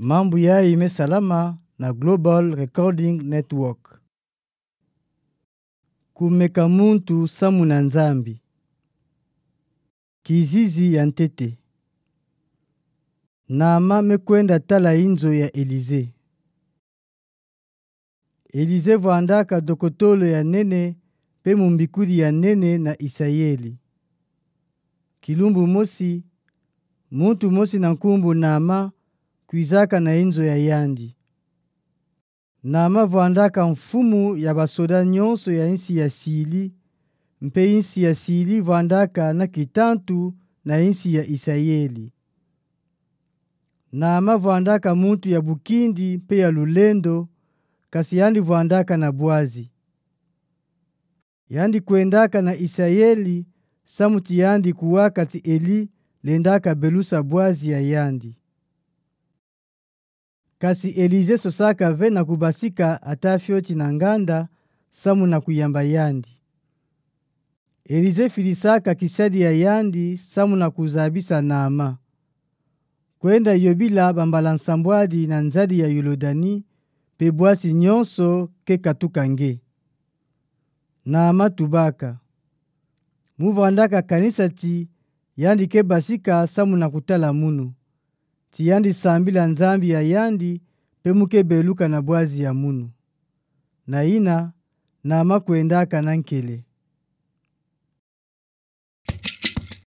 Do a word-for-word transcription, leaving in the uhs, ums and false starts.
Mambu yayi mesalama na Global Recording Network. Kumeka muntu samu na Nzambi. Kizizi ya ntete. Naama mekwenda tala inzo ya Elize. Elize vwandaka dokotolo ya nene mpe mumbikuli ya nene na Isayeli. Kilumbu mosi, muntu mosi na nkumbu Naama kwizaka na inzo ya yandi. Naama vwandaka mfumu ya basoda nyonso ya insi ya Sili, mpe insi ya Sili vwandaka na kitantu na insi ya Isayeli. Naama vwandaka muntu ya bukindi mpe ya lulendo, kasi yandi vwandaka na Boazi. Yandi kwendaka na Isayeli, samu ti yandi kuwaka ti Eli lendaka belusa Boazi ya yandi. Kasi Elize sosaka ve na kubasika ata fioti na nganda, samu na kuyamba yandi. Elize filisaka kisadi ya yandi, samu na kuzabisa Naama. Kwenda yobila bambala nsambwadi na nzadi ya Yolodani, mpe bwasi nyonso ke katuka nge. Naama tubaka. Mu vwandaka kanisa ti yandi ke basika samu na kutala munu, ti yandi sambila Nzambi ya yandi, mpe mu ke beluka na Boazi ya munu. Na yina, Naama kwendaka na nkele.